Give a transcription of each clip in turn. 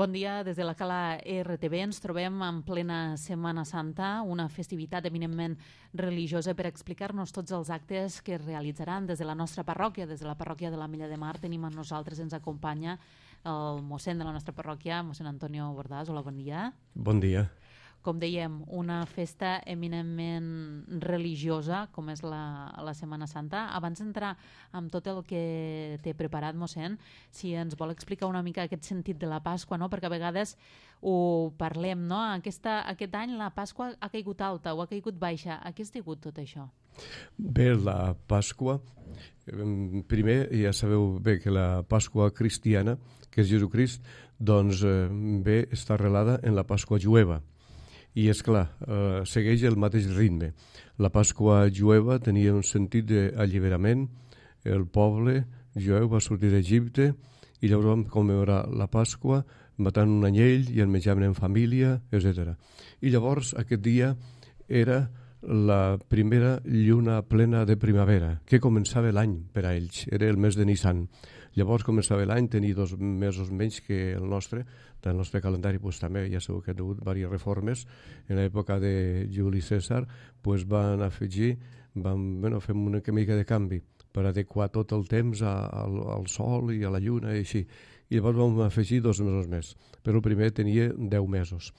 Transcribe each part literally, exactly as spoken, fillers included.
Bon dia, des de la Cala R T V ens trobem en plena Setmana Santa, una festivitat eminentment religiosa. Per explicar-nos tots els actes que es realitzaran des de la nostra parròquia, des de la parròquia de l'Ametlla de Mar, tenim amb nosaltres, ens acompanya el mossèn de la nostra parròquia, mossèn Antonio Bordàs. Hola, bon dia. Bon dia. Com dèiem, una festa eminentment religiosa, com és la, la Setmana Santa. Abans d'entrar amb tot el que té preparat, mossèn, si ens vol explicar una mica aquest sentit de la Pasqua, no? Perquè a vegades ho parlem, no? Aquesta, aquest any la Pasqua ha caigut alta o ha caigut baixa. A què has degut tot això? Bé, la Pasqua, primer ja sabeu bé que la Pasqua cristiana, que és Jesucrist, doncs bé, està arrelada en la Pasqua jueva. I, és clar, eh, segueix el mateix ritme. La Pasqua jueva tenia un sentit d'alliberament. El poble jueu va sortir d'Egipte i llavors vam commemorar la Pasqua matant un anyell i el menjaven en família, etcètera. I llavors aquest dia era la primera lluna plena de primavera, que començava l'any per a ells. Era el mes de Nissan. Llavors començava l'any, tenia dos mesos menys que el nostre. Del nostre calendari pues, també ja sabeu que ha hagut diverses reformes. En l'època de Juli Cèsar pues, van afegir, van, bueno, fem una mica de canvi per adequar tot el temps a, al, al sol i a la lluna i així. I llavors vam afegir dos mesos més, però el primer tenia deu mesos.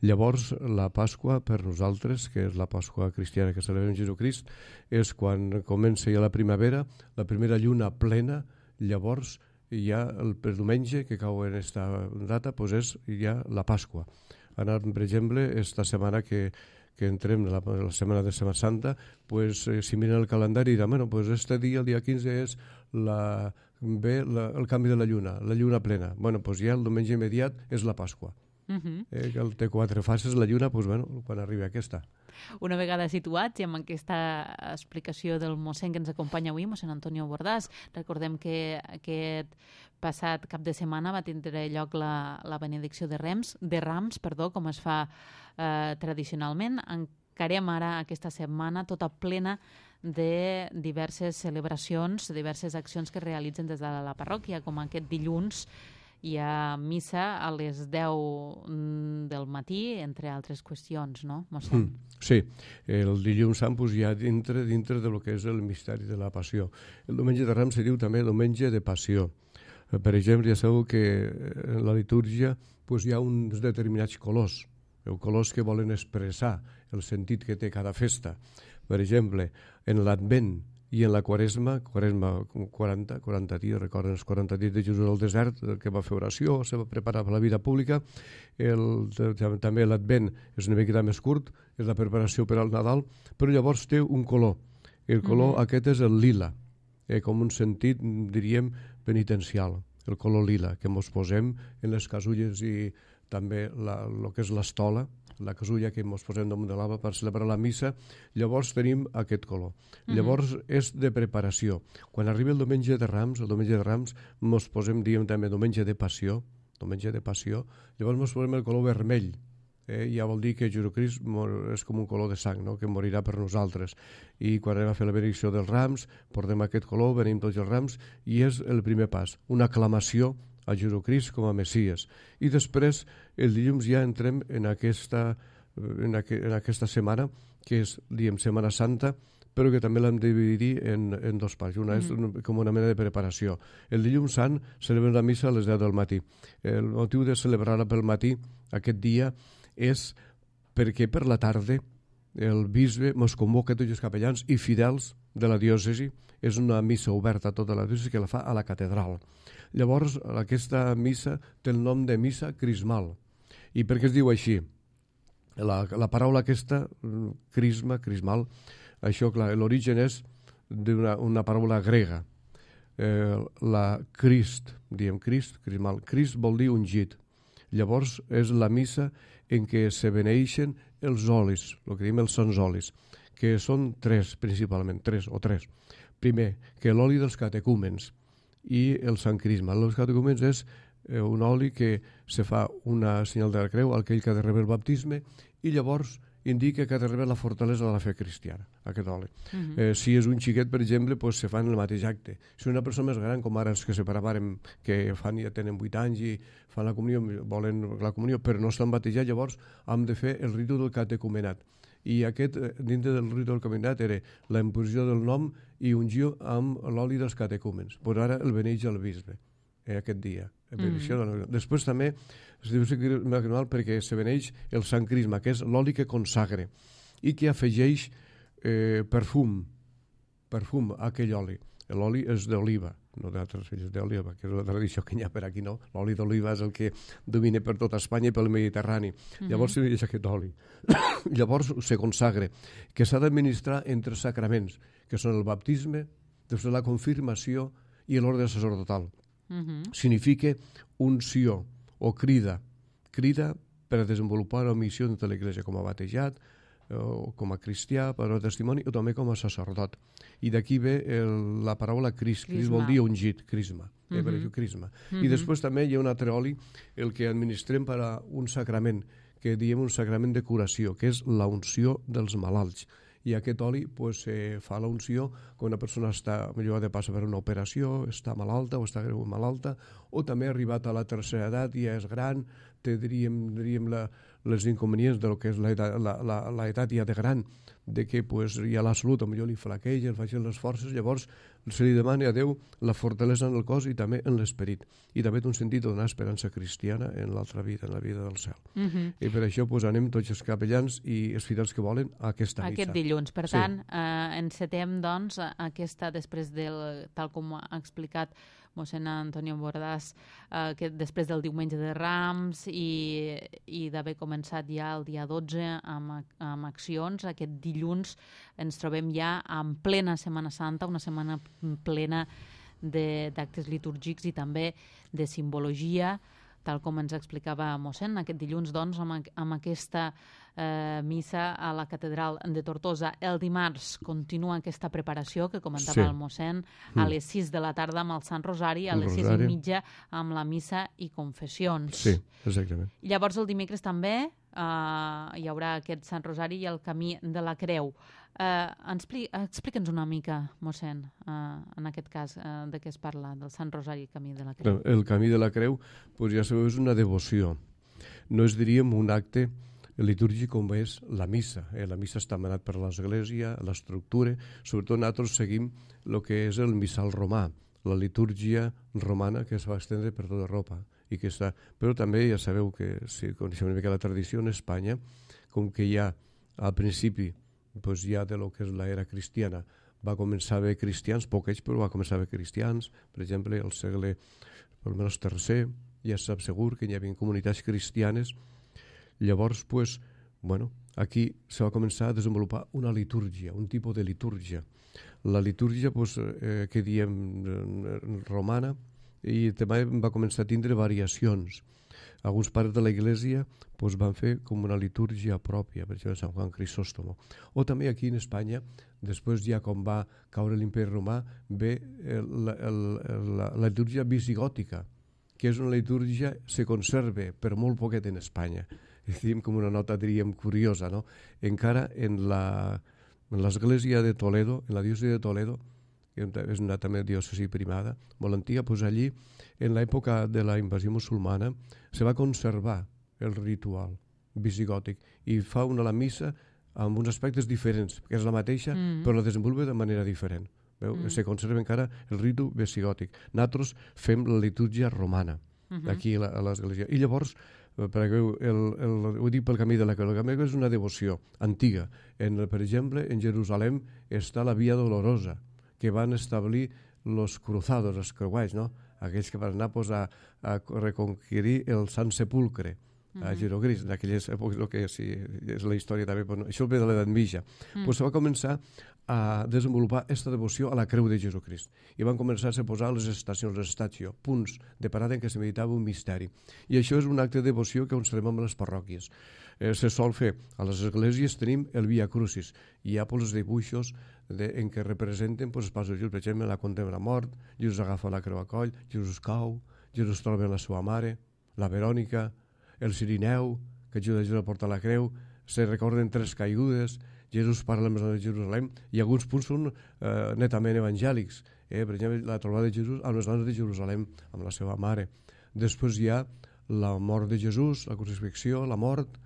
Llavors la Pasqua per nosaltres, que és la Pasqua cristiana que celebrem Jesucrist, és quan comença ja la primavera, la primera lluna plena. Llavors ja el per diumenge que cau en aquesta data pues és ja la Pasqua. Ara, per exemple, esta setmana que, que entrem la, la setmana de Setmana Santa, pues, eh, si miren el calendari diran, bueno, pues este dia, el dia quinze, és la, bé, la, el canvi de la lluna, la lluna plena. Bueno, pues ja el diumenge immediat és la Pasqua. Uh-huh. eh, que el té quatre fases la lluna, pues, bueno, quan arribi aquesta. Una vegada situats i amb aquesta explicació del mossèn que ens acompanya avui, mossèn Antonio Bordàs, recordem que aquest passat cap de setmana va tindre lloc la, la benedicció de Rams, de Rams, perdó, com es fa eh, tradicionalment. Encarem ara aquesta setmana tota plena de diverses celebracions, diverses accions que es realitzen des de la parròquia, com aquest dilluns hi ha missa a les deu del matí, entre altres qüestions, no, mossèn? Mm, sí, el dilluns sant pues, ja dintre, dintre de lo que és el misteri de la passió. El diumenge de Rams se diu també diumenge de passió. Per exemple, ja sabeu que en la litúrgia pues, hi ha uns determinats colors, colors que volen expressar el sentit que té cada festa. Per exemple, en l'Advent i en la Quaresma, Quaresma quaranta, quaranta dies, recorden els quaranta dies de Jesús al desert, que va fer oració, se va preparar per la vida pública. El, també l'Advent és una miqueta més curt, és la preparació per al Nadal, però llavors té un color. El color mm-hmm. aquest és el lila, eh, com un sentit, diríem, penitencial, el color lila, que ens posem en les casulles i també la, el que és l'estola, la casulla que ens posem damunt de l'alba per celebrar la missa, llavors tenim aquest color. Mm-hmm. Llavors és de preparació. Quan arriba el diumenge de Rams, el diumenge de Rams ens posem, diem també, diumenge de passió, diumenge de passió, llavors ens posem el color vermell. Eh? Ja vol dir que Jesucrist és com un color de sang, no? Que morirà per nosaltres. I quan anem a fer la benedicció dels Rams, portem aquest color, venim tots els Rams, i és el primer pas, una aclamació a Jesucrist com a Messies. I després, el dilluns ja entrem en aquesta, en, aqu en aquesta setmana, que és, diem, Setmana Santa, però que també l'hem de dividir en, en dos parts. Una mm-hmm. és com una mena de preparació. El dilluns sant celebrem la missa a les deu del matí. El motiu de celebrar-la pel matí, aquest dia, és perquè per la tarda el bisbe ens convoca tots els capellans i fidels de la diòcesi. És una missa oberta a tota la diòcesi que la fa a la catedral. Llavors, aquesta missa té el nom de missa crismal. I per què es diu així? La, la paraula aquesta, crisma, crismal, això, clar, l'origen és d'una una paraula grega. Eh, la Crist, diem Crist, crismal. Crist vol dir ungit. Llavors, és la missa en què se beneixen els olis, el que diem els sants olis, que són tres, principalment, tres o tres. Primer, que l'oli dels catecúmens i el sant crisma. Els catecúmens és eh, un oli que se fa una senyal de la creu, aquell que ha de rebre el baptisme, i llavors indica que ha de rebre la fortalesa de la fe cristiana, aquest oli. Uh Mhm. -huh. eh, si és un xiquet, per exemple, pues, se fa en el mateix acte. Si una persona més gran, com ara els que separàvem, que fan, ja tenen vuit anys i fan la comunió, volen la comunió, però no estan batejats, llavors hem de fer el ritu del catecumenat. I aquest, eh, dintre del ritu del catecumenat, era la imposició del nom i ungió amb l'oli dels catecúmens. Pues ara el beneix el bisbe, eh, aquest dia. Mm -hmm. Després també es diu crisma anual perquè se beneix el sant crisma, que és l'oli que consagre i que afegeix eh, perfum, perfum a aquell oli. L'oli és d'oliva, no d'altres filles d'oliva, que és una tradició que hi ha per aquí, no? L'oli d'oliva és el que domina per tota Espanya i pel Mediterrani. Mm -hmm. Llavors se beneix aquest oli. Llavors se consagre, que s'ha d'administrar entre sacraments, que són el baptisme, després la confirmació i l'ordre sacerdotal. Uh-huh. Significa unció o crida. Crida per a desenvolupar la missió de l'Església com a batejat, o com a cristià, per a testimoni, o també com a sacerdot. I d'aquí ve el, la paraula cris. Cris vol dir ungit, crisma. Uh-huh. Eh, per això crisma. Uh-huh. I després també hi ha un altre oli, el que administrem per a un sacrament, que diem un sacrament de curació, que és la unció dels malalts. I aquest oli pues, eh, fa la unció quan una persona està millor de passar per una operació, està malalta o està greu malalta, o també ha arribat a la tercera edat i ja és gran, té, diríem, diríem la, les inconvenients de lo que és l'edat ja de gran, de que pues, ja la salut millor li flaqueja, li facin les forces, llavors se li demana a Déu la fortalesa en el cos i també en l'esperit. I també té un sentit de donar esperança cristiana en l'altra vida, en la vida del cel. Uh -huh. I per això pues, anem tots els capellans i els fidels que volen a aquesta missa. Aquest dilluns. Per sí. tant, eh, encetem doncs, aquesta, després del, tal com ha explicat mossèn Antonio Bordàs, eh, que després del diumenge de Rams i, i d'haver començat ja el dia dotze amb, amb accions, aquest dilluns ens trobem ja en plena Setmana Santa, una setmana plena d'actes litúrgics i també de simbologia, tal com ens explicava mossèn. Aquest dilluns, doncs, amb, amb aquesta eh, missa a la catedral de Tortosa. El dimarts continua aquesta preparació que comentava sí. el mossèn, a les sis de la tarda amb el Sant Rosari, a les sis i mitja amb la missa i confessions. Sí, exactament. Llavors el dimecres també eh, hi haurà aquest Sant Rosari i el Camí de la Creu. Eh, Explica'ns una mica, mossèn, eh, en aquest cas, eh, de què es parla, del Sant Rosari i Camí de la Creu. El Camí de la Creu, pues ja sabeu, és una devoció. No és, diríem, un acte litúrgic com és la missa. Eh? La missa està manat per l'Església, l'estructura. Sobretot nosaltres seguim el que és el missal romà, la litúrgia romana que es va estendre per tota Europa. I que està... Però també ja sabeu que, si coneixem una mica la tradició en Espanya, com que ja al principi pues ja de lo que és l'era cristiana va començar a haver cristians, poquets, però va començar a haver cristians. Per exemple, al segle almenys tercer, ja es sap segur que hi havia comunitats cristianes. Llavors, pues, bueno, aquí se va començar a desenvolupar una litúrgia, un tipus de litúrgia. La litúrgia, pues, eh, que diem romana, i també va començar a tindre variacions. Alguns pares de la Iglesia pues, van fer com una litúrgia pròpia, per exemple, Sant Juan Crisòstomo. O també aquí en Espanya, després ja com va caure l'imperi romà, ve la, la, la litúrgia visigòtica, que és una litúrgia que se conserva per molt poquet en Espanya. Diem com una nota, diríem, curiosa, no? Encara en l'església de Toledo, en la diòcesi de Toledo, que és una també diòcesi primada, molt antiga, doncs allí, en l'època de la invasió musulmana, se va conservar el ritual visigòtic i fa una la missa amb uns aspectes diferents, que és la mateixa, mm. però la desenvolupa de manera diferent. Veu? Mm. Se conserva encara el ritu visigòtic. Nosaltres fem la litúrgia romana, mm-hmm. aquí a l'església. I llavors, perquè el, el, ho dic pel Camí de la Creu, el Camí de la Creu és una devoció antiga. En, per exemple, en Jerusalem està la Via Dolorosa, que van establir els cruzados, els creuats, no? Aquells que van anar pues, a, a reconquirir el Sant Sepulcre, mm-hmm. a Jerusalem, en aquelles èpoques, el que sí, és la història també, però no, això ve de l'edat mitja. Mm. Pues se va començar a desenvolupar aquesta devoció a la Creu de Jesucrist. I van començar a posar les estacions, les estatio, punts de parada en què se meditava un misteri. I això és un acte de devoció que ens farem amb les parròquies. Eh, se sol fer. A les esglésies tenim el Via Crucis. Hi ha pues, els dibuixos de, en què representen pues, els passos de Jesús. Per exemple, la contempla la mort, Jesús agafa la creu a coll, Jesús cau, Jesús troba la seva mare, la Verònica, el Cirineu, que ajuda a Jesús a portar la creu, se recorden tres caigudes, Jesús parla amb les dones de Jerusalem, i alguns punts són eh, netament evangèlics. Eh? Per exemple, la trobada de Jesús amb les dones de Jerusalem, amb la seva mare. Després hi ha la mort de Jesús, la crucifixió, la mort,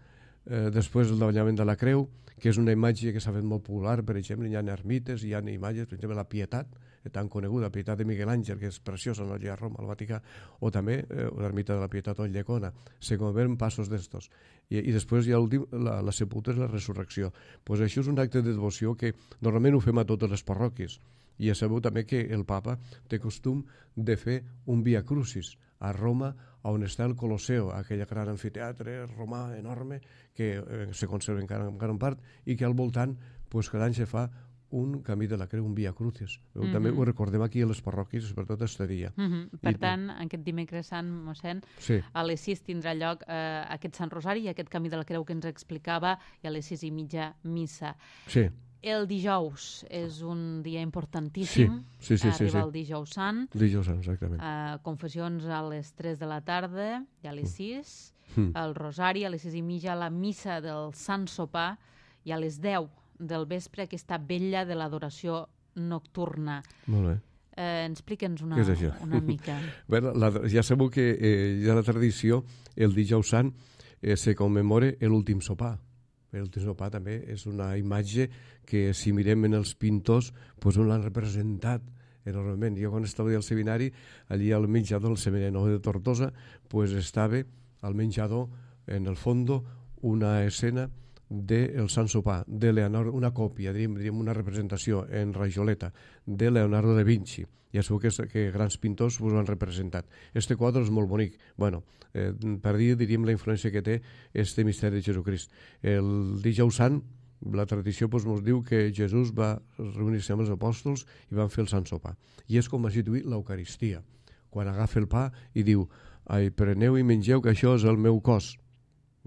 eh, després el davallament de la creu, que és una imatge que s'ha fet molt popular. Per exemple, hi ha ermites, hi ha imatges, per exemple, la Pietat, tan coneguda, la Pietat de Miguel Àngel, que és preciosa, no? Allà a Roma, al Vaticà, o també eh, l'ermita de la Pietat o Llecona. Se convenen passos d'estos. I, I després hi ha l'últim, la, la sepultura i la resurrecció. Pues això és un acte de devoció que normalment ho fem a totes les parròquies. I ja sabeu també que el papa té costum de fer un via crucis a Roma, on està el Colosseo, aquell gran amfiteatre romà enorme que eh, se conserva encara en gran part, i que al voltant pues, cada any se fa un camí de la creu, un via crucis. Mm -hmm. També ho recordem aquí a les parròquies, sobretot este dia. Mm -hmm. Per I, tant, aquest dimecres sant, mossèn, sí. a les sis tindrà lloc eh, aquest Sant Rosari i aquest camí de la creu que ens explicava, i a les sis i mitja missa. Sí. El dijous és un dia importantíssim. Sí, sí, sí. Arriba sí, sí. el dijous sant. Dijous sant, exactament. Uh, confessions a les tres de la tarda i a les sis. Mm. El rosari a les sis i mitja, la missa del Sant Sopar, i a les deu del vespre aquesta vetlla de l'adoració nocturna. Molt bé. Eh, Explica'ns una, una mica. Bé, la, ja sabeu que eh, hi ha la tradició, el dijous sant eh, se commemora l'últim sopar. L'últim sopar també és una imatge que, si mirem en els pintors, pues, on l'han representat enormement. Jo, quan estava al seminari, allí al menjador, al seminari nou de Tortosa, pues, estava al menjador, en el fondo, una escena del Sant Sopar, de Leonardo, una còpia, diríem, diríem una representació en rajoleta de Leonardo da Vinci. Ja sabeu que, que grans pintors us ho han representat. Este quadre és molt bonic. Bueno, eh, per dir, diríem, la influència que té este misteri de Jesucrist. El dijous sant, la tradició pues, ens diu que Jesús va reunir-se amb els apòstols i van fer el Sant Sopar. I és com va situir l'Eucaristia. Quan agafa el pa i diu: ai, preneu i mengeu, que això és el meu cos.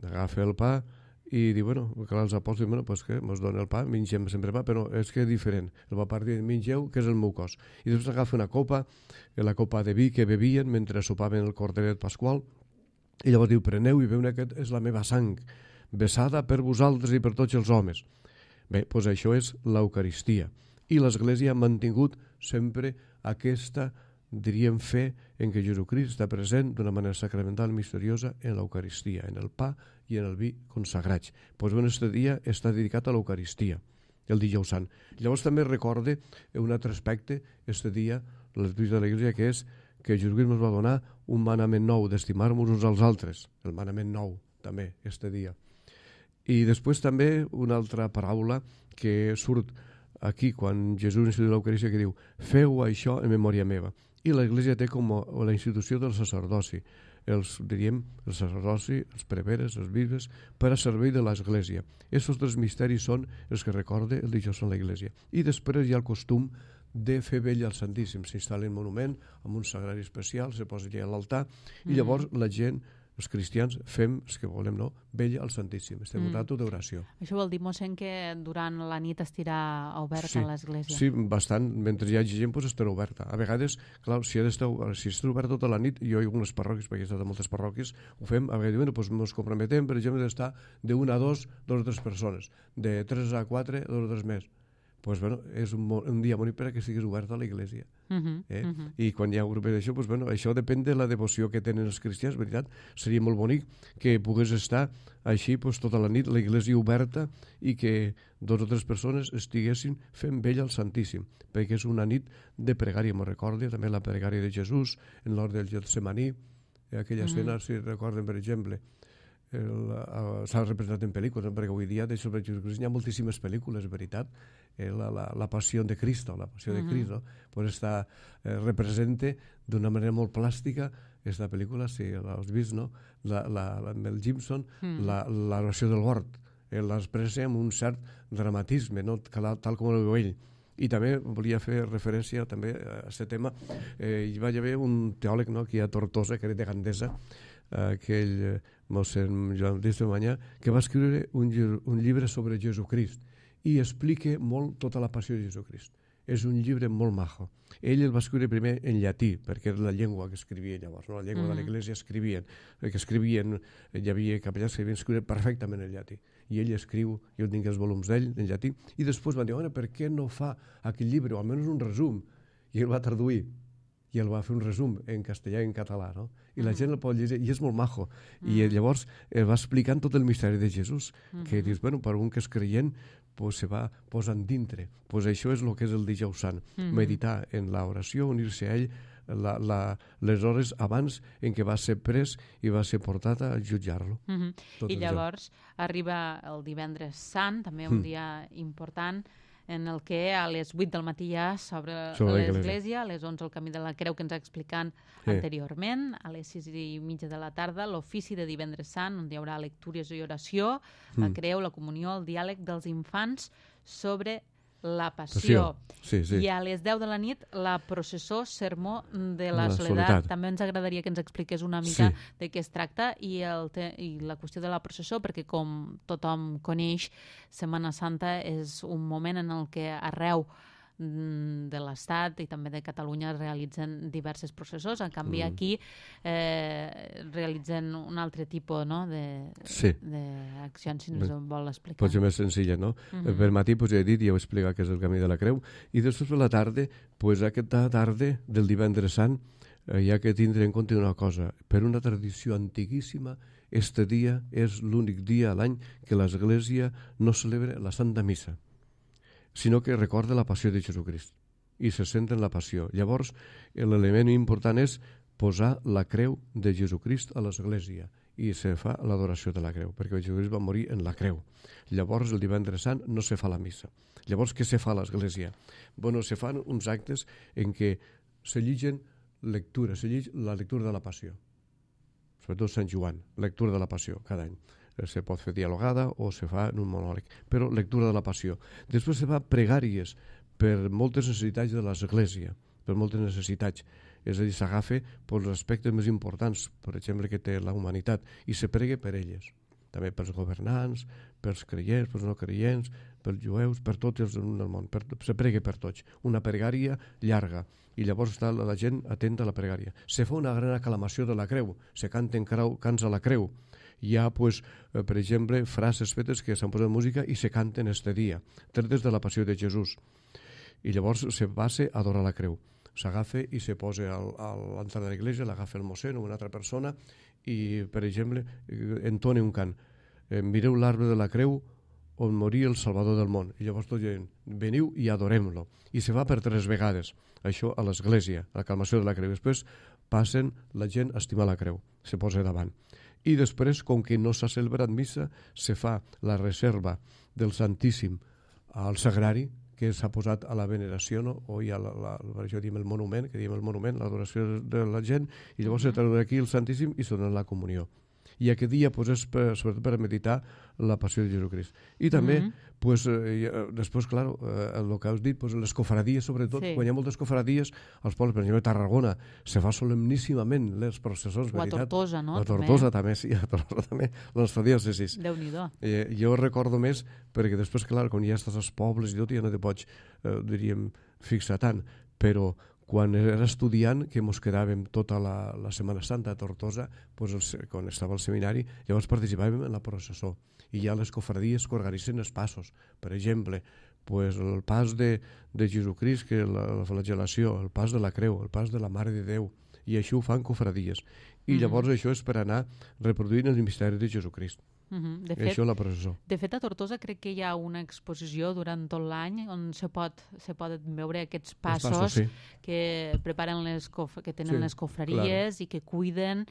Agafa el pa i diu, bueno, clar, els apòstols diuen, bueno, pues que mos dona el pa, mengem sempre pa, però és que és diferent. El va partir, mengeu, que és el meu cos. I després agafa una copa, la copa de vi que bevien mentre sopaven el corderet pasqual, i llavors diu, preneu i beu, aquest és la meva sang, besada per vosaltres i per tots els homes. Bé, doncs això és l'Eucaristia. I l'Església ha mantingut sempre aquesta, diríem, fe en què Jesucrist està present d'una manera sacramental misteriosa en l'Eucaristia, en el pa i en el vi consagrats. Doncs bé, aquest dia està dedicat a l'Eucaristia, el dijous sant. Llavors també recorde un altre aspecte, aquest dia, l'església de l'Església, que és que Jesucrist ens va donar un manament nou, d'estimar-nos uns als altres, el manament nou, també, aquest dia. I després també una altra paraula que surt aquí quan Jesús instituïu l'Eucaristia, que diu, feu això en memòria meva. I l'Església té com la institució del sacerdoci, els, diríem, el sacerdoci, els preveres, els bisbes, per a servei de l'Església. Aquests tres misteris són els que recorde el dijous en l'Església. I després hi ha el costum de fer vella al Santíssim. S'instal·la un monument amb un sagrari especial, se posa allà a l'altar, i llavors la gent, els cristians, fem, els que volem, no, vella al Santíssim. Estem en un rato d'oració. Això vol dir, mossèn, que durant la nit estarà oberta sí, l'Església? Sí, bastant. Mentre hi hagi gent, doncs estarà oberta. A vegades, clar, si, estar, si està oberta tota la nit, jo hi ha algunes parròquies, perquè he estat a moltes parròquies, ho fem, a vegades, bueno, doncs ens comprometem, per exemple, d'estar d'una a dos, dos o tres persones, de tres a quatre, dos o tres més. Pues, bueno, és un, un dia bonic per a que estiguis oberta a l'Església. Uh -huh, eh? uh -huh. I quan hi ha un grup d'això, pues, bueno, això depèn de la devoció que tenen els cristians, veritat. Seria molt bonic que pogués estar així pues, tota la nit, l'Església oberta, i que dos o tres persones estiguessin fent vella al Santíssim, perquè és una nit de pregària. Me'n recordo també la pregària de Jesús en l'hort del Getsemaní, aquella uh -huh. escena, si recorden, per exemple, s'ha representat en pel·lícules, perquè avui dia de sobre Jesucrist hi ha moltíssimes pel·lícules, veritat. Eh, la, la, la Passió de Cristo, la Passió uh -huh. de Cristo, pues està, eh, representa d'una manera molt plàstica aquesta pel·lícula, si l'has vist, no? La, la, la Mel Gibson, uh -huh. la, l'oració del hort, eh, l'expressa amb un cert dramatisme, no? Tal com ho veu ell. I també volia fer referència també a aquest tema. Eh, hi va haver un teòleg, no?, aquí a Tortosa, que era de Gandesa, aquell eh, mossèn Joan Baptista Manyà, que va escriure un, un llibre sobre Jesucrist i explica molt tota la passió de Jesucrist. és un llibre molt majo. Ell el va escriure primer en llatí, perquè era la llengua que escrivia llavors, no? La llengua mm. de l'Església escrivien, que escrivien, hi havia capellans que havien escrit perfectament en llatí. I ell escriu, jo tinc els volums d'ell en llatí, i després van dir, bueno, per què no fa aquell llibre, o almenys un resum? I el va traduir, i el va fer un resum en castellà i en català, no? I la mm. gent el pot llegir, i és molt majo. Mm. I llavors el va explicant tot el misteri de Jesús, mm. que dius, bueno, per un que és creient, pues se va posant dintre. Pues això és el que és el dijous sant. Mm-hmm. Meditar en l'oració, unir-se a ell la, la, les hores abans en què va ser pres i va ser portat a jutjar-lo. Mm-hmm. I llavors això. Arriba el divendres sant, també un mm. dia important, en el que a les vuit del matí ja s'obre l'església, a les onze el camí de la Creu que ens ha explicat sí. anteriorment, a les sis i mitja de la tarda l'ofici de divendres sant, on hi haurà lectures i oració, mm. la Creu, la comunió, el diàleg dels infants sobre la passió. passió. Sí, sí. I a les deu de la nit la processó Sermó de la, la soledat. soledat. També ens agradaria que ens expliqués una mica sí. de què es tracta i, el te i la qüestió de la processó, perquè com tothom coneix, Setmana Santa és un moment en el que arreu de l'Estat i també de Catalunya realitzen diverses processors. En canvi, mm. aquí eh, realitzen un altre tipus no? d'accions, sí. si ens vol explicar. Pot ser més senzilla, no? Mm-hmm. Per matí, pues, ja he dit, ja ho he explicat que és el camí de la Creu, i després per la tarda, pues, aquesta tarda del divendres sant, eh, hi ha que tindre en compte una cosa. Per una tradició antiguíssima, este dia és l'únic dia a l'any que l'Església no celebra la Santa Missa, sinó que recorda la passió de Jesucrist i se centra en la passió. Llavors, l'element important és posar la creu de Jesucrist a l'Església i se fa l'adoració de la creu, perquè Jesucrist va morir en la creu. Llavors, el divendres sant no se fa la missa. Llavors, què se fa a l'Església? Bueno, se fan uns actes en què se lligen lectures, se llig la lectura de la passió, sobretot Sant Joan, lectura de la passió, cada any. Se pot fer dialogada o se fa en un monòleg, però lectura de la passió. Després se fa pregàries per moltes necessitats de l'Església, per moltes necessitats. És a dir, s'agafa per els aspectes més importants, per exemple, que té la humanitat, i se pregue per elles. També pels governants, pels creients, pels no creients, pels jueus, per tots els del món. Per, se pregue per tots. Una pregària llarga. I llavors està la gent atenta a la pregària. Se fa una gran aclamació de la creu. Se canten cants a la creu. Hi ha, pues, eh, per exemple, frases fetes que s'han posat música i se canten este dia, tretes de la passió de Jesús. I llavors se passa a adorar la creu. S'agafa i se posa al, a l'entrada de l'església, l'agafa el mossèn o una altra persona i, per exemple, entona un cant. Eh, mireu l'arbre de la creu on moria el Salvador del món. I llavors tot gent, veniu i adorem-lo. I se fa per tres vegades, això a l'església, a l'aclamació de la creu. Després passen la gent a estimar la creu, se posa davant. I després, com que no s'ha celebrat missa, se fa la reserva del Santíssim al Sagrari, que s'ha posat a la veneració, no? O hi ha la, la, la, això diem el monument, que diem el monument, l'adoració de la gent, i llavors se treu d'aquí el Santíssim i se dona la comunió. I aquest dia pues, és per, sobretot per meditar la passió de Jesucrist. I també, mm-hmm. pues, eh, després, clar, eh, el que has dit, pues, les cofradies, sobretot, sí. quan hi ha moltes cofradies, als pobles, per exemple, a Tarragona, se fa solemníssimament les processons, o a Tortosa, no? A Tortosa també, sí, a Tortosa també, la nostra diòcesis. Déu-n'hi-do. Eh, jo recordo més, perquè després, clar, quan ja estàs als pobles i tot, ja no te pots, eh, diríem, fixar tant, però quan era estudiant, que mos quedàvem tota la, la Setmana Santa a Tortosa, pues, el, quan estava al seminari, llavors participàvem en la processó. I hi ha les cofradies que organitzen els passos. Per exemple, pues, el pas de, de Jesucrist, que la, la flagel·lació, el pas de la creu, el pas de la Mare de Déu, i això ho fan cofradies. I llavors mm-hmm. això és per anar reproduint el misteri de Jesucrist. Mm-hmm. De fet, això la processó. De fet, a Tortosa crec que hi ha una exposició durant tot l'any on se, pot, se poden veure aquests passos, passos sí. que preparen les cof que tenen sí, les cofreries claro. I que cuiden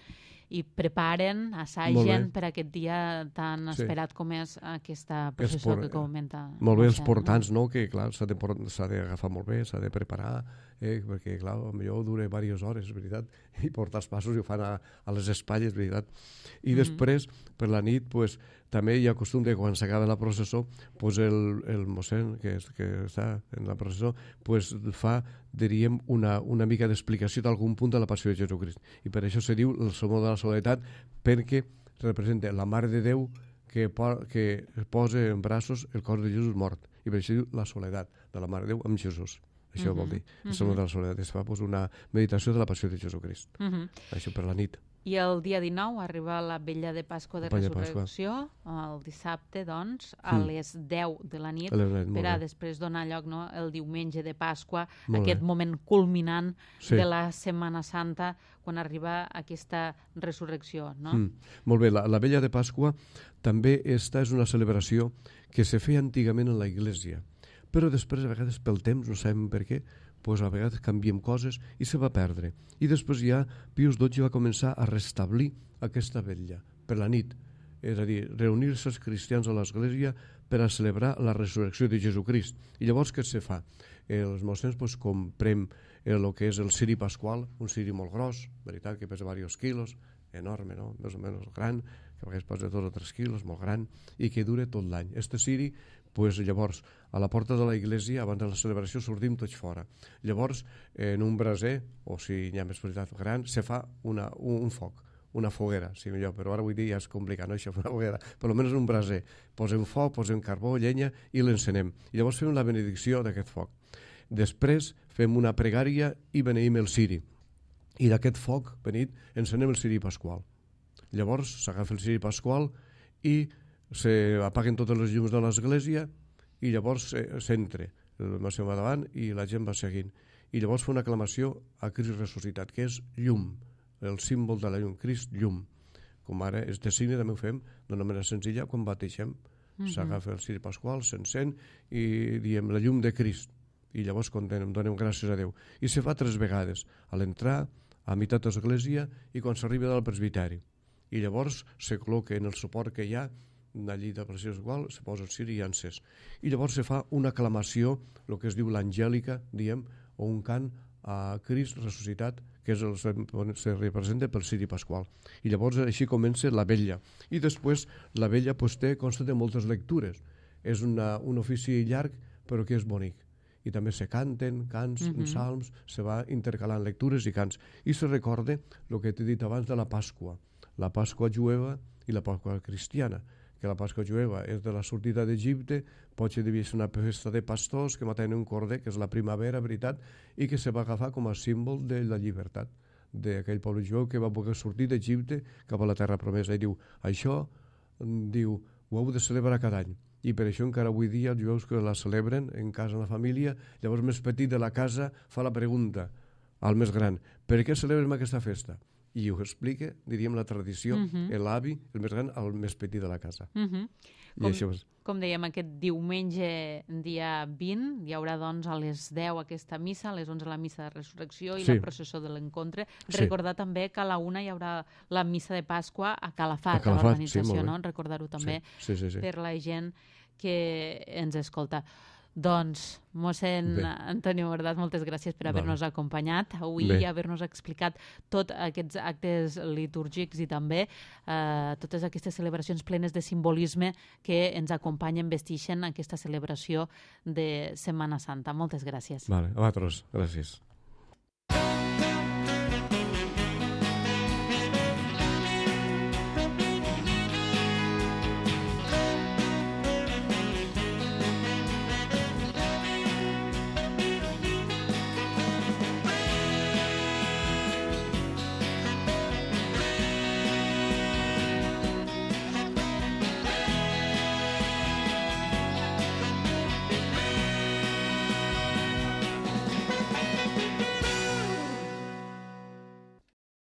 i preparen, assagen per aquest dia tan esperat sí. com és aquesta processó por... que comenta. Molt bé, els portants, no? Que clar, s'ha d'agafar molt bé, s'ha de preparar, eh? perquè clar, potser dura diverses hores, és veritat, i portar els passos i ho fan a, a les espatlles, és veritat. I mm-hmm. després, per la nit, pues, també hi ha costum de quan s'acaba la processó, pues el, el mossèn que, és, que està en la processó pues fa, diríem, una, una mica d'explicació d'algun punt de la passió de Jesucrist. I per això se diu el sermó de la soledat, perquè representa la Mare de Déu que, po que posa en braços el cos de Jesús mort. I per això diu la soledat de la Mare de Déu amb Jesús. això uh -huh. vol dir. Uh -huh. És de la soledat, es fa pues, una meditació de la passió de Jesucrist. Uh -huh. Això per la nit. I el dia dinou arriba la vetlla de Pasqua de Resurrecció, el dissabte, doncs, a mm. les deu de la nit, nit per a després donar lloc, no, el diumenge de Pasqua, molt aquest bé. moment culminant sí. de la Setmana Santa, quan arriba aquesta resurrecció. No? Mm. Molt bé, la, la vetlla de Pasqua també esta és una celebració que se feia antigament en la Iglésia, però després, a vegades, pel temps, no sabem per què, pues a vegades canviem coses i se va perdre. I després ja Pius dotze va començar a restablir aquesta vetlla per la nit, és a dir, reunir-se els cristians a l'església per a celebrar la resurrecció de Jesucrist. I llavors què se fa? Els mossens pues, comprem el que és el ciri pasqual, un ciri molt gros, veritat, que pesa diversos quilos, enorme, no? Més o menys gran, que a vegades pesa dos o tres quilos, molt gran, i que dura tot l'any. Este ciri, pues, llavors, a la porta de la iglesia, abans de la celebració, sortim tots fora. Llavors, en un braser, o si hi ha més veritat gran, se fa una, un, un foc, una foguera, si millor, però ara avui dia ja és complicat, no, això, una foguera, per almenys un braser. Posem foc, posem carbó, llenya i l'encenem. I llavors fem la benedicció d'aquest foc. Després fem una pregària i beneïm el ciri. I d'aquest foc, benit, encenem el ciri pasqual. Llavors s'agafa el ciri pasqual i s'apaguen totes les llums de l'església i llavors s'entra, el Massió va davant i la gent va seguint. I llavors fa una aclamació a Crist ressuscitat, que és llum, el símbol de la llum, Crist llum. Com ara, este signe també ho fem d'una manera senzilla quan bateixem. Uh-huh. S'agafa el ciri pasqual, s'encén i diem la llum de Crist. I llavors condenem, donem gràcies a Déu. I se fa tres vegades, a l'entrar, a meitat de l'església i quan s'arriba del presbiteri. I llavors se col·loca en el suport que hi ha allí de pressió igual, se posa el ciri i encès. I llavors se fa una aclamació, el que es diu l'angèlica, diem, o un cant a Crist ressuscitat, que és el, se representa pel ciri pasqual. I llavors així comença la vetlla. I després la vetlla pues, té, consta de moltes lectures. És una, un ofici llarg, però que és bonic. I també se canten cants, uh-huh. salms, se va intercalant lectures i cants. I se recorda el que t'he dit abans de la Pasqua, la Pasqua jueva i la Pasqua cristiana, que la Pasqua jueva és de la sortida d'Egipte, potser devia ser una festa de pastors que maten un corder, que és la primavera, veritat, i que se va agafar com a símbol de la llibertat d'aquell poble jueu que va poder sortir d'Egipte cap a la terra promesa. I diu, això, diu, ho heu de celebrar cada any. I per això encara avui dia els jueus que la celebren en casa, en la família, llavors més petit de la casa fa la pregunta al més gran, per què celebrem aquesta festa? I ho explica, diríem, la tradició, uh-huh. l'avi, el més gran, al més petit de la casa. Uh-huh. I com, això és... com dèiem, aquest diumenge, dia vint, hi haurà doncs a les deu aquesta missa, a les onze la missa de resurrecció i sí. la processó de l'encontre. Sí. Recordar també que a la una hi haurà la missa de Pasqua a Calafat, a, Calafat, a l'organització, sí, no? Recordar-ho també sí. Sí, sí, sí. per la gent que ens escolta. Doncs, mossèn Antonio Bordas, moltes gràcies per haver-nos vale. acompanyat avui Bé. i haver-nos explicat tots aquests actes litúrgics i també eh, totes aquestes celebracions plenes de simbolisme que ens acompanyen, vestixen aquesta celebració de Setmana Santa. Moltes gràcies. Vale, a vosaltres, gràcies.